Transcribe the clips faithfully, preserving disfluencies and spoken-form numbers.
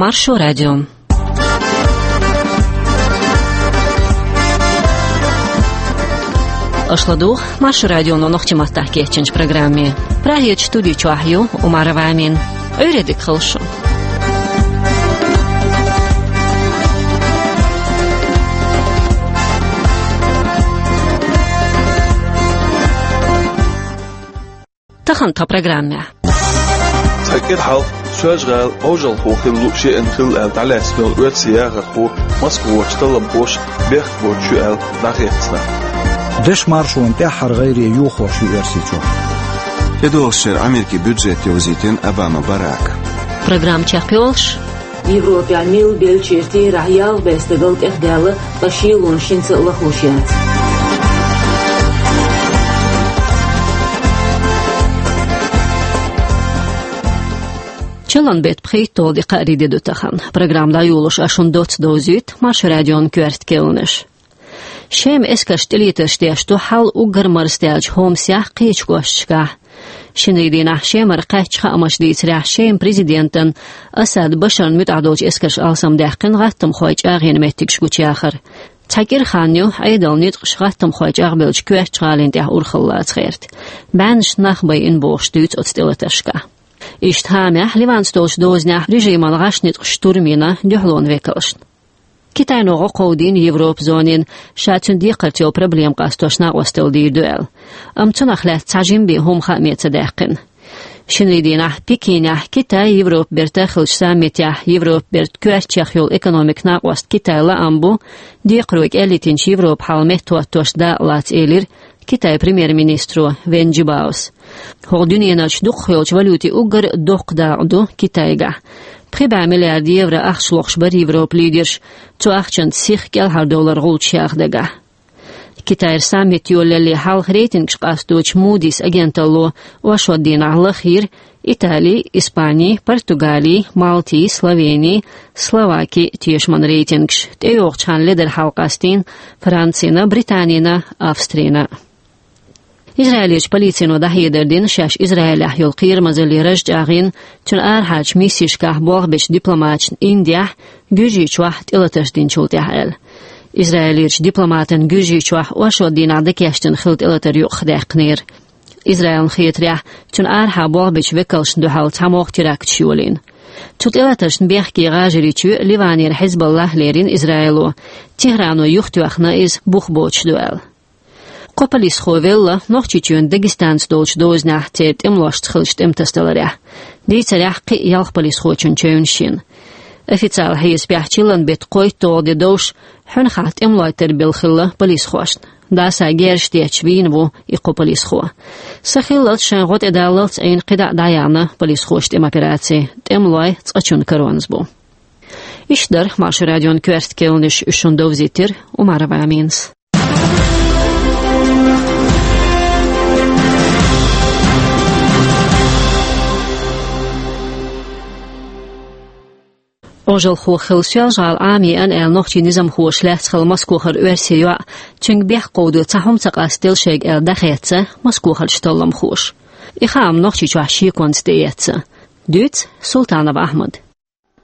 Маршо радио. Аша ладугӀу Маршо радионо нохчийн маттахь кечйинчу программе. Прагерчу студи чохь ю Умарова Амина. Ӏуьйре дика хуьлда шун. Тахана тхан программехь. Цхьа кӀира хьалха Соьлжа-ГӀала Ӏожалхо хила лууш еана хилла аьлла дӀалаьцна йолу оьрсийн яхархо Москвахочу талламхоша бехк боцуш ю аьлла дӀахецна. Дешан маршонан тӀаьххьара гӀайре йохош ю Оьрсийчохь. ТӀедогӀучу шеран Америкин бюджет йовзийтина Обама Барака. Программа чекхйолуш. Европехь милла беллачеран терахь ялх бӀе стагал тӀехдаьлла, ткъа шелонаш хӀинца а лахлуш яц. Чиллан беттан пхийтталгӀа де кхаарин де ду тахана. Программа дӀайолош ас шуна доцца довзуьйту Маршо радион коьрта керланаш. Шеман эскарша тӀелетарш деш ду хьал уггар марздаьллачу Хомсехь, кхечу кӀошташкахь. Шинарин дийнахь Шемара кхаьчча хаамаш дийцарехь, Шеман президентан Асад Башаран муьтӀахь долчу эскарша алсамдаьккхина гӀаттамхойн чӀагӀъян меттигаш гучуяхар. Цхьа кӀира хан ю Ӏедалан ницкъаша гӀаттамхой чӀагӀбеллачу коьртачу гӀалин тӀехь урхалла лаца гӀерта. БӀеннаш нах байина бохуш дуьйцу оцу тӀелатаршкахь. Иштта хӀамаехь, Ливанца долчу дозанехь режиман гӀаш ницкъаша штурм йина дуьхьалонан векалшна. Китайно гӀо кховдийна Европан зонин, ша цуьнан декхарца йолу проблема къастош накъосталла дийр ду аьлла. Амма цунах лаьцна цхьа жима бен хӀума хааме ца даьккхина. Шинарин дийнахь Пекинехь Китай-Европа бертан хиллачу саммитехь Европа бертан коьртачех йолу экономикан накъост Китай лаам бу, декхаро кӀел йитинчу Европан хьал меттахӀоттош дакъа лаца, элира Китайн премьер-министро Вэн Жибаос. ХӀокху дуьненарчу дукхахйолчу валютийн уггар доккха дакъа ду Китайгахь. Пхи бӀе миллиард евро ахча лохуш бара Европан лидерш, цу ахчанца сиха кӀелхьардовлар гӀулчаш яха дагахь. Китайра саммит йолалле хьалха рейтингаш къасточу Moody's агенталло оршот дийнахь лахйира Итали, Испани, Португали, Малти, Словени, Словаки тешаман рейтингаш. ТӀейогӀучу хенахь ледара хьалакъастийна Францина, Британина, Австрина. Израилерчу полицино дӀахьедар дина, шаьш Израилехь йолу кхерамазалле раж чӀагӀйина, цуьнан арахьарчу миссешкахь болх бечу дипломаташна Индехь, Гуьржийчохь тӀелатарш динчул тӀаьхьа аьлла. Израилерчу дипломатана Гуьржийчохь оршот дийнахь дӀакечдина хилла тӀелатар юкъахдаьккхинера. Израилна хетарехь, цуьнан арахьа болх бечу векалшна дуьхьал цхьамогӀа теракташ йолийна. Цу тӀелатаршна бехке гӀажарийчоь Ливанера Хьизбаллахь лерина Израило. Техрано юхатоьхна иза бух боцуш ду аьлла. Кхо полисхо велла Нохчийчоьнан Дагестанца долчу дозанехь церан тӀемалошца хиллачу тӀематасадаларехь. Дийцарехь, кхин а ялх полисхочун чевнаш йина. Официалан хьесапехь чиллан беттан кхойтталгӀа де довш, хьуьнхахь тӀемалой тарбелла хилла полисхошна. Даса герзаш детташ вийна ву и кхо полисхо. Са хиллалц шайн гӀо тӀедаллалц Ӏийна кхидӀа а дӀаяьхьна полисхоша тӀеман операци. ТӀемалой цкъачунна каронца бу. Иштта дара Маршо радион коьрта керланаш, уьш шуна довзийтира Умарова Аминас. Ӏожалхо хилла Соьлжа-ГӀала Ӏамийна аьлла нохчийн низамхоша лаьцна хилла Москохара оьрсийн йоӀ, цуьнга бехк кховдо цхьа хӀума ца къастаделла шайга аьлла дӀахецна Москохарчу талламхоша. И хаам Нохчийчохь шеконца тӀеэцна. Дуьйцу Султанов Ахьмада.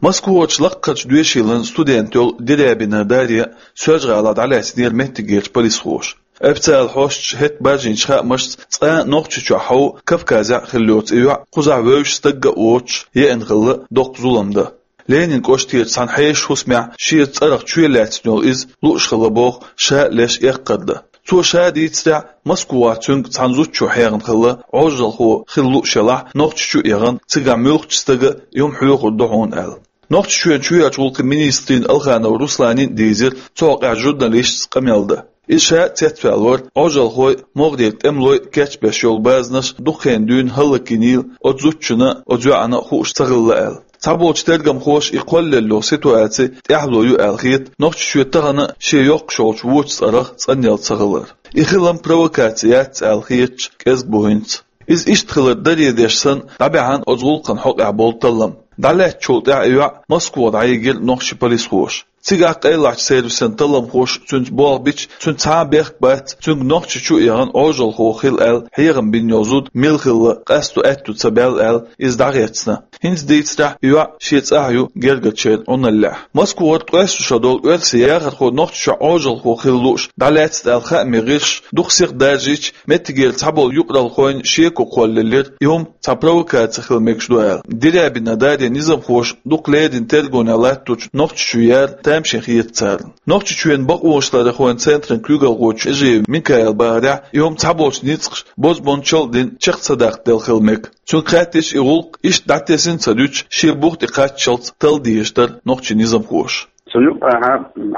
Москвахарчу лакхарчу доьшийлан студент йолу Дерябина Дарья Соьлжа-ГӀалахь дӀалаьцнера меттигерчу полисхоша. Официалан хьосташа хӀетахь баьржинчу хаамашца, цкъа а Нохчийчохь хьовха, Кавказехь а хилла йоцу и йоӀ кхузахь вевзаш стагга а воцуш, еана хилла доккха зулам дан. Ленинан кӀоштерчу цхьана хьешан хӀусамехь шеца цӀарах чоь лаьцна йолу иза лууш хилла боху ша а леш эккхар дан. Цо ша дийцарехь, Москвахь цуьнга цхьана зудчо хьехна хилла Ӏожалхо хила лууш елахь, Нохчийчу а яхана, цигахь муьлххачу стага а юм хьоьхур ду хьуна аьлла. Нохчийчоьнан чоьхьарчу гӀуллакхийн министрина Алханов Русланна а дийзира цу хьокъехь журналисташца къамел дан. Иза ша а цецваьлла вара, Ӏожалхой а, могӀарера тӀемалой а кечбеш йолу базанаш дукха хенахь дуьйна хӀаллакйинийла оцу зудчунна а, оцу йоӀанна а хууш ца хилла аьлла. Цхьаболчу тергамхоша и кхоллаелла йолу ситуаци тӀаьхьало ю аьлла хета, Нохчийчоь тахана а шен йоккхуш йолчу вочу цӀарах цӀанъелла ца хилар. И хилам провокаци яц аьлла хеташ кӀезиг бу хӀинца. Иза иштта хилар даре деш санна, дӀабаьхьна оцу гӀуллакхан хьокъехь болу таллам. ДӀалаьцначул тӀаьхьа и йоӀ Москва дӀайигира нохчийн полисхоша. Цигахь къайлахчу сервисан талламхоша цуьнца болх бича, цуьнан цхьа а бехк бац, цуьнга Нохчийчу а яхана Ӏожалхо хила аьлла хьехам бина йолу зуда мила хилла, къасто аьтту ца баьлла аьлла, иза дӀагӀерцна. ХӀинца дийцарехь, и йоӀ шен цӀахь ю гергарчеран Ӏуналлехь. Москвара ткъаесна шо долу оьрсийн яхархо Нохчийчохь Ӏожалхо хила лууш дӀалаьцна аьлла хаамийн гӀирсаша дукха сиха даржийча, меттигера цхьаболу юкъаралхойн шеко кхоллаелира, и хӀума цхьа провокаци хила мегаш ду аьлла. Дерябина Дарьин низамхоша дукха леррина тергонехь латточу Нохчийчу яра тамашийна хета царна. Нохчийчоьнан бакъонашларъярхойн центран куьйгалхочо Эжиев Микаила бахарехь, и хӀума цхьаболчу ницкъаша бозбуунчалла а дина чекх ца даккха делла хила мега. Цуьнга хаьттича, и гӀуллакх иштта дӀатесна ца дуьтуш, шен бух тӀе кхаччалц талла дезаш дара нохчийн низамхоша. Цу юкъахь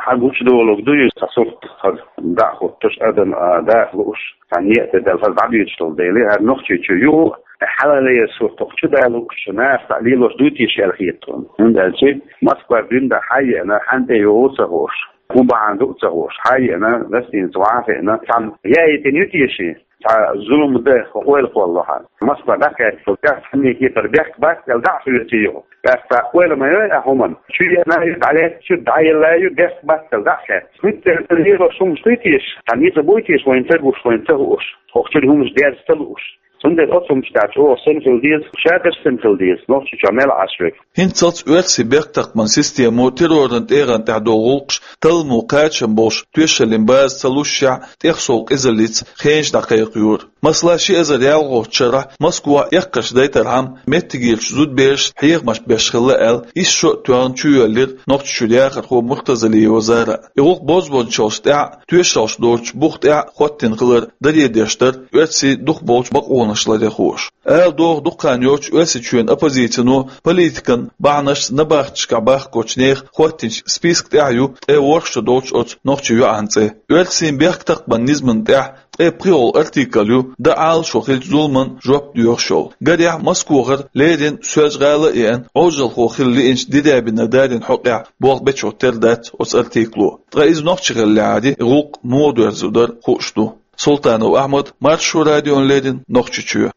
хьан гучудолург ду иза, цхьа сурт хӀара дӀа а хӀуттуш, адам а даха лууш, цхьа некъа тӀе даьлла хӀара дӀабоьдуш долу дела, хӀара Нохчийчу юха а хьалалера сурт хӀокху чу далуш, наха цхьаъ лелош дуй те аьлла хета тхуна. ХӀунда аьлча Москва дуьйна дӀа хьан а еана, хьан тӀе юха а ца хууш, хӀун бахьана ду а ца хууш, хьан а еана, гостиница вахьа а хиъна, цхьамма яийтина ю те шен? Цхьа зулам дан ойла кхоллалахь. Москва дӀакхаьчча, цхьанне кепара бехк бац аьлла дӀа а хоьций юха. ТӀаккха ойла ма йой ахь хӀуманна. Чу еана ю, дӀалаьцна ю, дӀаелла ю, бехк бац аьлла дӀа а хаьттича. ХӀинца лелош хӀуманаш дуй те, цхьа ницкъ буй те вайна ца гуш, вайна ца хууш, хӀокху чуьра хӀуманаш дерза ца лууш. Цундела оцу хӀуманаш тӀехь чӀогӀа сема хила деза, ша дерш сема хила деза, Нохчийчохь мел Ӏаш верг. ХӀинццалц оьрсийн бехктакхаман системо терроран тӀегӀан тӀехь долу гӀуллакхаш талламо кхачам болуш тоьшаллин база ца лушшехь, тӀехсов къизаллица хенаш дӀакхайкхайора. Масала, ши эзар ялхолгӀачу шарахь Москвахь эккхарш дайтархьама, меттигерчу зудаберашна хьехамаш беш хилла аьлла, исс шо а тоьхна чу йоьллира Нохчийчуьра яхархо Муртазалиева Зара. И гӀуллакх бозбуунчаллаш тӀехь а, тоьшаллаш доцучу бух тӀехь а хӀоттийна хилар даре деш дара оьрсийн дукхахболчу бакъонашларъярхоша. Ала догӀу, дукха хан йоццуш Оьрсийчоьнан оппозицино политикан бахьанашца набахташкахь бахкочу нехан хӀоттийначу списка тӀехь ю ткъе ворхӀ шо долчу оцу нохчийн йоӀан цӀе. Оьрсийн бехктакхаман низамна тӀехь ткъе пхоьалгӀа артикл ю, дан Ӏалашо хиллачу зуламна жоп доьхуш йолу. Гарехь, Москвахара леррина Соьлжа-ГӀала а еана, Ӏожалхо хила лиъначу Дерябина Дарьин хьокъехь болх бечух тера дац оцу артикло. Ткъа иза нохчи хиллехьара, и гӀуллакх муха доьрзур дара хууш ду. Султанов Ахьмад, Маршо радиона леррина, Нохчийчоь.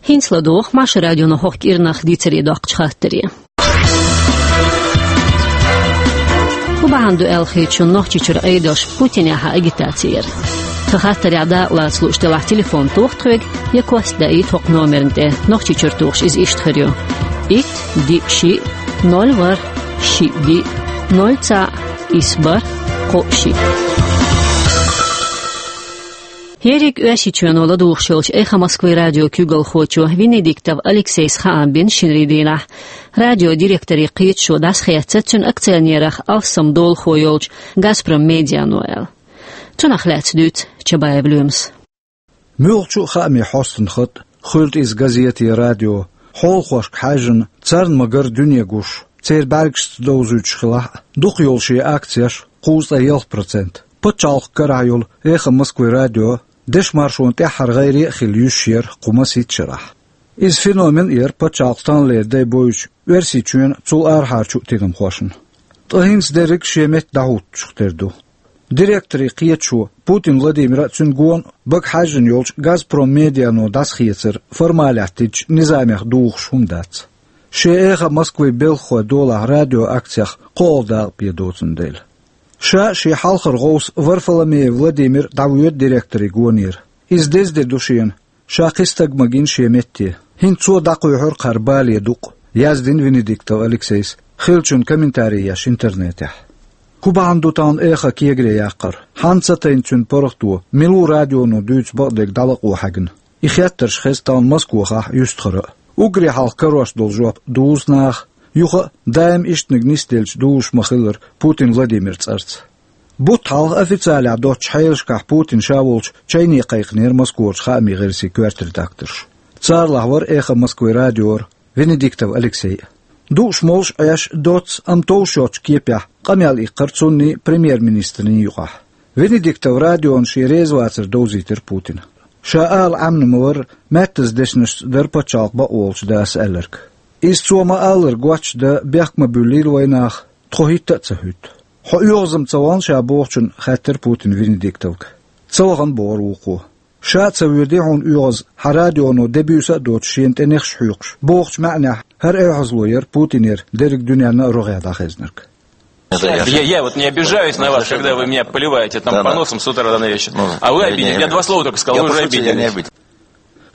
ХӀинца ладогӀа Маршо радионо хӀокху кӀирнах дийцаре доккхучу хаттаре. ХӀун бахьана ду аьлла хетачунна Нохчийчуьра Ӏедалша Путинехьа агитаци яр? Тхан хаттарехь дакъа лаца лууш делахь, телефон тоха тхоьга я кост даийта хӀокху номерна тӀе. Нохчийчуьра тухуш иза иштта хир ю: итт, диъ, шиъ, ноль, ворхӀ, шиъ, диъ, ноль, цхьаъ, исс, бархӀ, кхоъ, шиъ. Ерриг Оьрсийчоьно ладугӀуш йолчу «Эхо Москвы» радион куьйгалхочо Венедиктов Алексейс хаам бина шинарийн дийнахь радион директорийн кхеташо дӀасахецна цуьнан акционерах алссам долахо йолчу «Газпром Медиано» аьлла. Цунах лаьцна дуьйцу Чабаев Лоьмас. Муьлххачу а хаамийн хьостан хатӀ, хуьлда иза газете, радио, хьолахошка хьаьжжина, царна ма-гарра дуьне гуш, церан бӀаьргашца довзуьйтуш хилахь а, дукха йолу шен акцеш, кхузткъе ялх процент, пачхьалкхан карахь йолу «Эхо Москвы» радион дешан-маршонан тӀаьххьара гӀайре а хилла юьсуш яра кху масийтта шарахь. Иза феномен а яра пачхьалкхан тахналера дай бойучу Оьрсийчоьнан, цул арахьарчу а тидамхошна. Ткъа хӀинца дерриг шен метта дӀахӀуттуш тера ду. Директорийн кхеташо Путин Владимира а, цуьнан гонах бага хьаьжжина йолчу «Газпром Медиано» дӀасахецар формалитеташ динчу низамех духуш хӀума дац. Шен «Эхо Москвы» белхахойн долахь радион акцех кхоалгӀа дакъа бен доцун дела. Ша а, шен хьалхара гӀовс Варфоломеев Владимир а дӀавоьду директорийн гонера. Иза деза де ду шена, ша кхин стаг ма гина шен метте. ХӀинца цо дӀакхоьхьура кхара бале дукъ, яздина Венедиктов Алексейс, хиллачунна комментарий еш интернетехь. ХӀун бахьана ду тахана «Эхо» кегаре яккхар? Хьанна ца тайна цуьнан паргӀато, мила ву радионо дуьйцу бакъдерг дӀалакъо хьаьгна? И хеттарш хеза тахана Москвахахь, юьстахара а. Уггаре хьалха карош долу жоп дузу наха, юха а даим ишттаниг нисделча дузуш ма-хиллара Путин Владимиран цӀарца. Бутт хьалха официалехь доцучу хьелашкахь Путин ша волчу чайне кхайкхинера Москварчу хаамийн гӀирсийн коьрта редакторш. Царалахь вара «Эхо Москвы» радиора Венедиктов Алексей а. Дууш-молуш Ӏеш, доцца, амма товш йоцчу кепехь къамел иккхира цунний, премьер-министрний юкъахь. Венедиктов радиона шен реза вацар довзийтира Путина. Ша ала Ӏемина ма-варра, маьттаза дешнашца дара пачхьалкхан бакъволчу даса аьлларг. Иза цо ма-аллара гоч дан бехк ма-буьллийла вайнах, тхо хӀитта а ца хӀуьтту. «Хьо оьгӀазма ца вахана ша?» — бохучунна хаьттира Путина Венедиктовга. «Ца вахана», — бохура вукхо. Ша а ца воьдий хьуна оьгӀаз, хьан радионо де-буьйса а доцуш шена тӀе нехаш хьоькхуш, бохучу маьӀнехь хӀара оьгӀазло яра Путинера дерриг дуьненна а рогӀехь дӀахезнарг. Я, я вот не обижаюсь на вас, когда вы меня поливаете там поносом с утра до вечера. А вы обиделись. Я два слова только сказал, вы уже обиделись.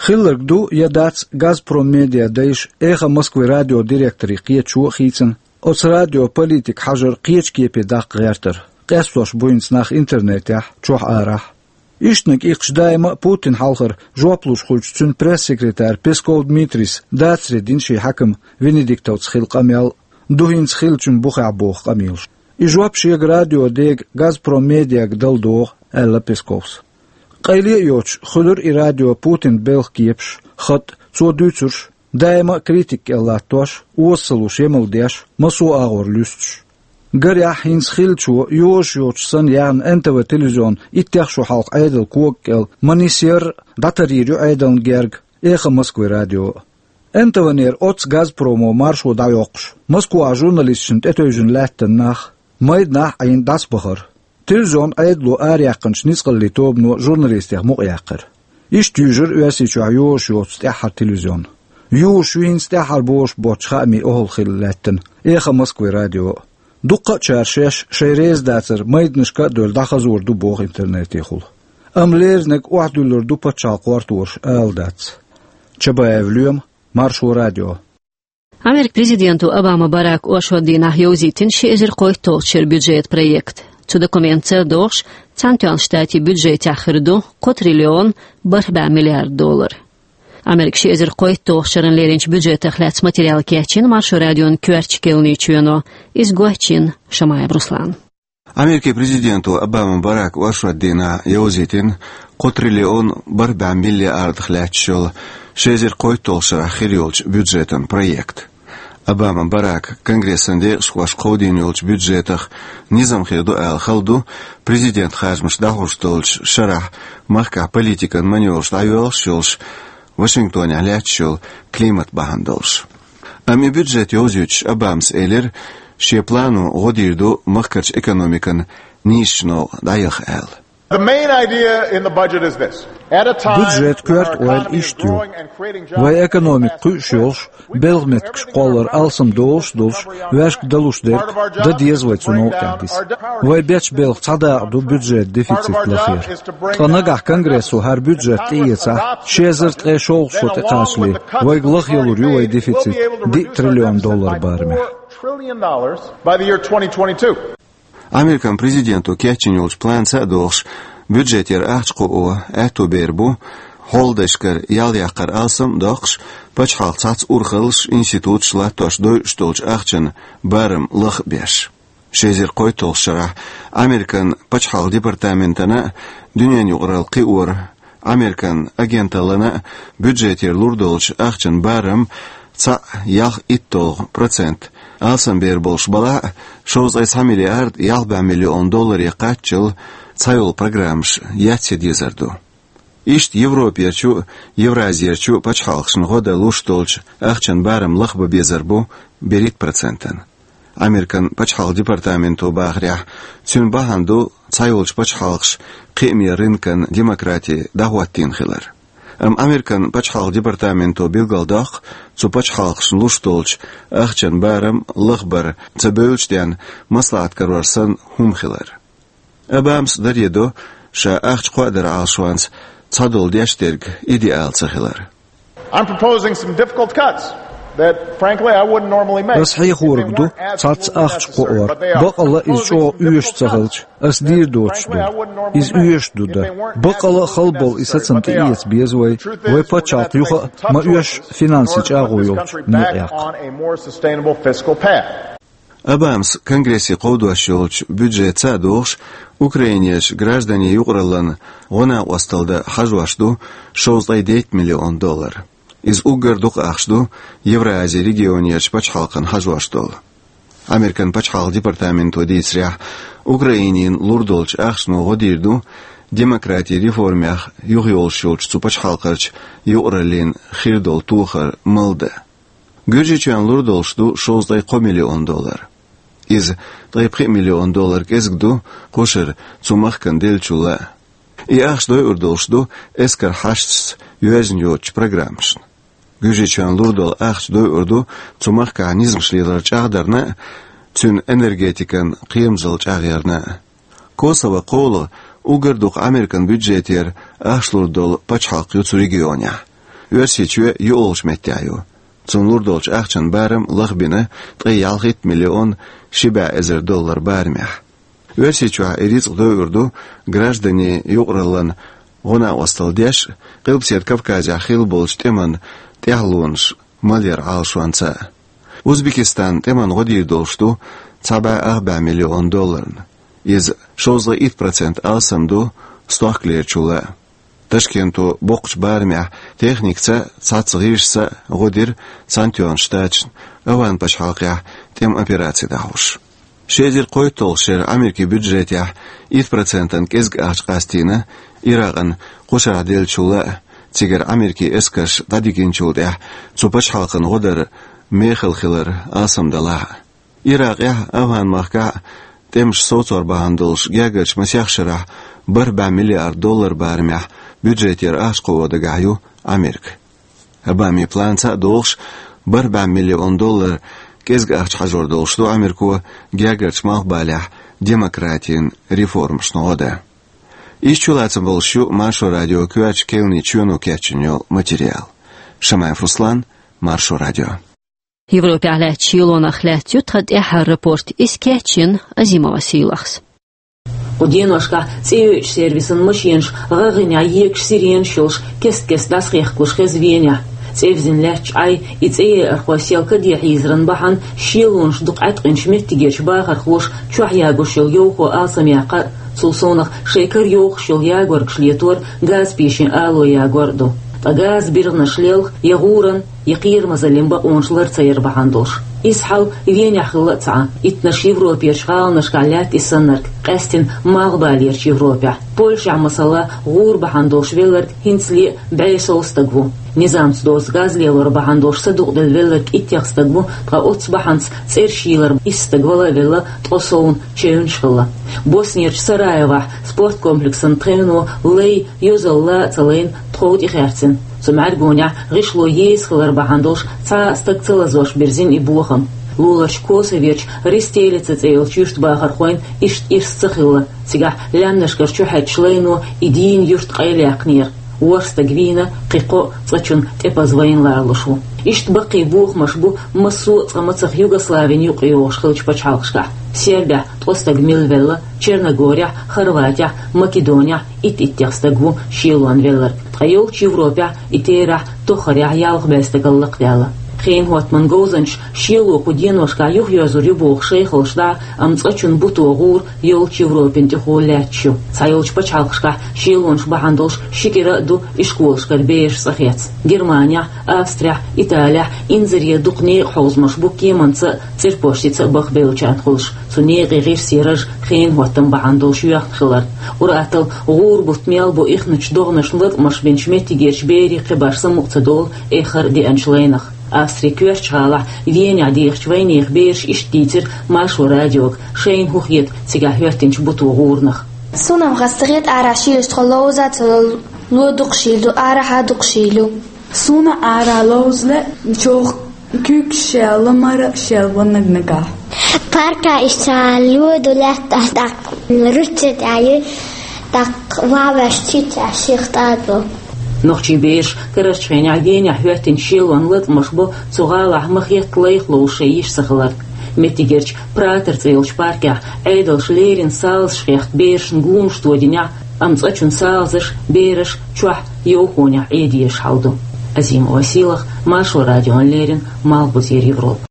Хилларг ду я дац «Газпром Медиа» дайша «Эхо Москвы» радион директоре кхеташо а хийцина. Оцу радион политика хьажар кхечу кепе даккха гӀертара. Къестош бу хӀинца нах интернетехь, чохь-арахь. Ишттаниг иккхаш даима а Путин хьалхара жоп луш хуьлучу цуьнан пресс-секретарь Песков Дмитрийс дацаре дина шен хьаькам Венедиктовца хилла къамел а, ду хӀинца хиллачун бухахь боху къамелаш. И жоп шега радион дега «Газпром Медиага» дала догӀу, аьлла Песковс. Къайле а йоцуш, хуьлура и радио Путинан белхан кепаш, хатӀ, цо дуьйцурш, даима а критика кӀел латтош, оза ца луш емал деш, массо а агӀор луьстуш. Гарехь, хӀинца хиллачо йозуш йоцуш санна яьхна НТВ телевизион иттех шо хьалха Ӏедалан кога кӀел ма нисъяр а, дӀатарйийр ю Ӏедална герга «Эхо Москвы» радио а. НТВ-нера оццу «Газпромо» маршо дӀайоккхуш, Москвахь журналисташна тӀетевжина лаьттина нах, майданахь а Ӏийна дӀасабахара. Телевизион Ӏедало араяьккхинчу ницкъаллийн тобано журналистех мукъаяьккхира. Иштта юьйжира Оьрсийчохь йозуш йоцу тӀаьххьара телевизион. Юзуш ю хӀинца тӀаьххьара бозуш боцчу хаамийн охӀла хилла лаьттина «Эхо Москвы» радио а. Дуккха а чара шаьш шайн реза дацар майданашка а девлла дӀахазор ду боху интернетехула. Амма лерринарг охьадуьллур ду пачхьалкхан кхортораша ала дац. Чабаев Лоьма, Маршо радио. Америкин президента Обама Барака оршот дийнахь йовзийтина ши эзар кхойтталгӀачу шеран бюджетан проект. Цу документаца догӀуш, Цхьаьнатоьхначу Штатийн бюджетехь хир ду кхо триллион бархӀ бӀе миллиард доллар. Америкин ши эзар кхойтталгӀачу шеран леринчу бюджетах лаьцна материал кечйина Маршо радион коьртачу керланийн чоьно. Иза гочйина Шамаев Руслана. Америкин президента Обама Барака оршот дийнахь йовзийтина кхо триллион бархӀ бӀе миллиардах лаьтташ йолу ши эзар кхойтталгӀачу шарахь хир йолчу бюджетан проект. Обама Барака Конгрессан декъашхоша кховдийна йолчу бюджетах низам хир ду аьлла хала ду президентан харжамаш дӀахьуш долчу шарахь махкахь политикан маневраш дӀайоьлхуш йолуш Вашингтонехь лаьтташ йолу климат бахьана долуш. Амма и бюджет йовзуьйтуш Обамас элира, шен плано гӀо дийр ду махкарчу экономикан нийсачу новкъа дӀаяха аьлла. The main idea in the budget is this. At a time Бюджетан коьрта ойла иштта ю. Вайн экономика кхуьуш йолуш, белхан меттигаш кхоллар алсам долуш а долуш, ваьшка далуш дерг дан деза вай цу новкъа тӀехь диса. Вай бечу белхан цхьа дакъа ду бюджетан дефицит лахъяр. Ткъа нагахь Конгрессо хӀара бюджет тӀеэцахь, ши эзар ткъе шолгӀа шо тӀекхачале, вайга лахъялур ю вайн дефицит диъ триллион доллар барамехь. Trillion dollars by the year twenty twenty-two. Американ президента кечйина йолчу планца а догӀуш, бюджетера ахча кхоо аьтто бер бу хьолдашкара ял яккхар алсам а доккхуш, пачхьалкхан цхьацца урхаллаш, институташ латтош дойуш долчу ахчан барам лаха а беш. Ши эзар кхойтталгӀачу шарахь Американ пачхьалкхан департаментана а, дуьненан юкъаралла кхиоран Американ агенталлана а бюджетера лур долчу ахчан барам цхьаъ ялх итталгӀа процент алсам бер болуш балахь а, шовзткъе цхьа миллиард ялх бӀе миллион долларе кхаччалц цхьайолу программаш яц ян дезар ду. Иштта Европерчу а, Евразерчу а пачхьалкхашна гӀо дан луш долчу ахчан барам лахбан безар бу берхӀитта процентана. Американ пачхьалкхан департаменто бахарехь, цуьнан бахьана ду цхьайолчу пачхьалкхаша кхиаме рынкан демократи дӀахӀоттийна хилар. Амма Американ пачхьалкхан департаменто билгалдоккху цу пачхьалкхашна луш долчу ахчан барам лахбар ца бевллачу денна маслаӀат карор санна хӀума хилар. Обамас даре до, ша ахча кхоадаран Ӏалашонца цхьадолу деш дерг идеал ца хилар. I'm proposing some difficult cuts that, frankly, I wouldn't normally make. Ас хьехориг ду цхьацца ахча кхоор. Бакъалла иза чӀогӀа оьшуш ца хилча, ас дийр доцуш ду. Иза оьшуш ду дан. Бакъалла а хала болу и сацам тӀеэца беза вай, вай пачхьалкх юха а ма оьшшу финансийн чӀагӀо йолчу некъа яккха. Обамас Конгрессе кховдош йолчу бюджетца а догӀуш, Украинерчу гражданийн юкъараллина гӀо-накъосталла дан хьажош ду шовзткъе дейтта миллион доллар. Иза уггар дукха ахча ду Евразин регионерчу пачхьалкхана хьажош долу. Американ пачхьалкхан департаменто дийцарехь, Украинина лур долчу ахчано гӀо дийр ду демократин реформех юхайолуш йолчу цу пачхьалкхарчу юкъараллина хир долу тохар малдан. Гуьржийчоьнна лур долуш ду шовзткъе кхо миллион доллар. Иза ткъе пхи миллион доллар кӀезиг ду кхушара цу махкана деллачул а. И ахча дойур долуш ду эскаран хьашташца йоьзна йоцучу программашна. Гуьржийчоьнна лур долу ахча дойур ду цу махкахь низамаш лелар чӀагӀдарна а, цуьнан энергетикан кхерамзалла чӀагӀъярна а. Косово кхоалгӀа уггар дукха Американ бюджетера ахча лур долу пачхьалкх ю цу регионехь. Оьрсийчоь юкъалгӀачу меттехь ю. Цунна лур долчу ахчанан барам лахбина ткъе ялхитта миллион ши бӀе эзар доллар барамехь. Оьрсийчохь и рицкъ дойур ду гражданийн юкъараллин гӀо-накъосталла деш а, Къилбаседа Кавказехь хилла болчу тӀеман тӀаьхьалонаш малъяран Ӏалашонца а. Узбекистанан тӀеман гӀо дийр долуш ду цхьа бӀе ах бӀе миллион долларна. Иза шовзткъе итт процент алсам ду стохкалерчул а. Ташкенто боккхачу барамехь техникаца а, цхьацца гӀирсаца а гӀо дира Цхьаьнатоьхначу Штаташна АфгӀан пачхьалкхехь тӀеман операци дӀахьош. Ши эзар кхойтталгӀачу шеран Америкин бюджетехь итт процентана кӀезиг ахча къастийна Иракъана кхушарахь деллачул а, цигара Америкин эскарш дӀадигначул тӀаьхьа цу пачхьалкхана гӀо дар мехала хилар алсам далахь а. Иракъехь а, АфгӀан-махкахь а тӀемаш совцор бахьана долуш гергарчу масех шарахь бархӀ бӀе миллиард доллар барамехь бюджетера ахча кхоо дагахь ю Америка. Обамин планца а долуш, бархӀ бӀе миллион доллар кӀезиг ахча хьажор долуш ду Америко гергарчу Малхбалехь демократин реформашна гӀо дан. Иштта чулацам болуш ю Маршо радион коьртачу кхаьллачу чоьно кечйина йолу материал. Шамаев Руслан, Маршо радио. Европехь лаьттачу шелонах лаьцна ю тхан тӀаьххьара рапорт, иза кечйина Азимова Сийлахьс. Кху деношкахь цӀе йоьдучу сервисан машенаш гӀагӀанехь егаш сиренаш йолуш кест-кеста дӀасахехкалуш хеза Венехь. ЦӀе визина лаьттачу Ӏай и цӀе еархой сел каде хьийзаран бахьана шелонаш дукха Ӏаткъинчу меттигерчу бахархоша чохь ягош йолу йовхо алсамъяккха а, цул совнах шайн кара йовхош йолу ягоргаш летор а, газа пешин ало ягор а ду. Ткъа газа биргӀанаш лелха я гӀуран, я кхерамазаллин бакъонаш лар ца яр бахьана долуш. Иза хьал Венехь хилла а ца Ӏа. Иттаннаш Европерчу гӀаланашкахь лаьтта и саннарг, къаьсттина Малхбалерчу Европехь. Польшехь, масала, гӀура бахьана долуш велларг хӀинцале а бӀе сов стаг ву. Низамца доцу газ лелор бахьана долуш садукъаделла велларг иттех стаг ву, ткъа оццу бахьанца цӀераш йийлар исс стаг вала а велла, ткъо совна чевнаш хилла. Боснерчу Сараевохь спорткомплексан тхевно лай йозалла а ца лайна, тхов тӀехаьрцина. Цу мӀаьргонехь гӀишло еза хилар бахьана долуш цхьа а стаг ца лазош бирзина и бохам. Луларчу Косоверчу Ристелица цӀе йолчу юьртан бахархойн иштта ирс ца хилла. Цигахь лаьмнашкара чухьаьддачу лайно и дийна юрт къайлаяьккхинера. ВорхӀ стаг вийна, кхин кхоъ цкъачунна тӀепаза вайна ларалуш ву. Иштта баккхий бохамаш бу массо а цкъа мацах Югославина юкъайогӀуш хиллачу пачхьалкхашкахь. Сербехь ткъо стаг милла велла, Черногорехь, Хорватехь, Македонехь итт-иттех стаг ву шелонан велларг. Ткъа йолчу Европехь и терахь тоххарехь ялх бӀе стагал лакхадаьлла. Хенан хӀоттаман говзанчаша шело кху деношкахь юхайоьзур ю боху шайхаллаш дӀа, амма цкъачунна буто гӀур йолчу Европин тӀехула лаьтташ ю. Цхьайолчу пачхьалкхашкахь шелонаш бахьана долуш ши кӀира а ду ишколашкара бераш цӀа хецна. Германехь, Австрехь, Италехь инзаре дукха некъан хьовзамаш бу кеманца а, цӀерпоштица а бахбевллачарна хуьлуш. Цу некъийн гӀирсийн раж хенан хӀоттам бахьана долуш йоьхна хилар. Ур-атталла гӀура бутт мел бу ихначу догӀанашна латкъамаш бинчу меттигерчу берийн кхибарш самукъа ца долу эххар а деанчу лайнах. Австрин коьртачу гӀалахь Венехь дехачу вайнехан бераша иштта дийцира Маршо радиога, шайна хӀун хета цигахь хӀоьттинчу буто гӀурнах. Суна-м хаза ца хета, арахь шийлачу тхо ловза а ца ло, ло дукха шийла ду, арахьа а дукха шийла ю. Суна арахь ловзале, чохь куьйгаш шел, мара а шел ван наг-нагахь. Парка иштта ло ду лаьтташ, тӀаккха ручча тӀе ю, тӀаккха ван ваьш чичча ших тӀадо. Нохчийн бераш карарчу хенахь Венехь хӀоьттинчу шелонан латкъамаш бо цу гӀалахь ма-хетта лайх ловзуш шайн йиш ца хиларг. Меттигерчу Пратер цӀе йолчу паркехь Ӏедалша леррина салазаш хехка берашна гонаш тодинехь, амма цкъачунна салазаш, бераш чохь йовхонехь Ӏе дезаш хьал ду. Азимова Сийлахь, Маршо радиона леррина, Малхбузера Европа.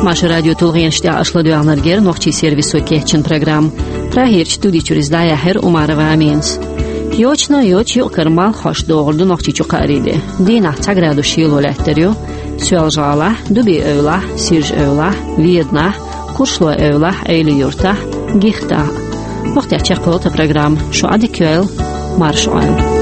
Маршо радион тулгӀенаш тӀехь аша ладоьгӀнарг яра нохчийн сервисо кечйина программа. Прагерчу студи чуьра иза дӀаяьхьира Умарова Аминас. Йочана а йоцуш, юкъ-кара малх хьош догӀур ду Нохчийчу кхаарин де. Дийнахь цхьа градус шело лаьттар ю Соьлжа-ГӀалахь, Дуби-Эвлахь, Сиржа-Эвлахь, Веданахь, Куршлой-Эвлахь, Ӏели-Юьртахь, Гихтахь. ХӀокху тӀехь чекхйолу тхан программа. Шу Ӏадика йойла, марша Ӏойла.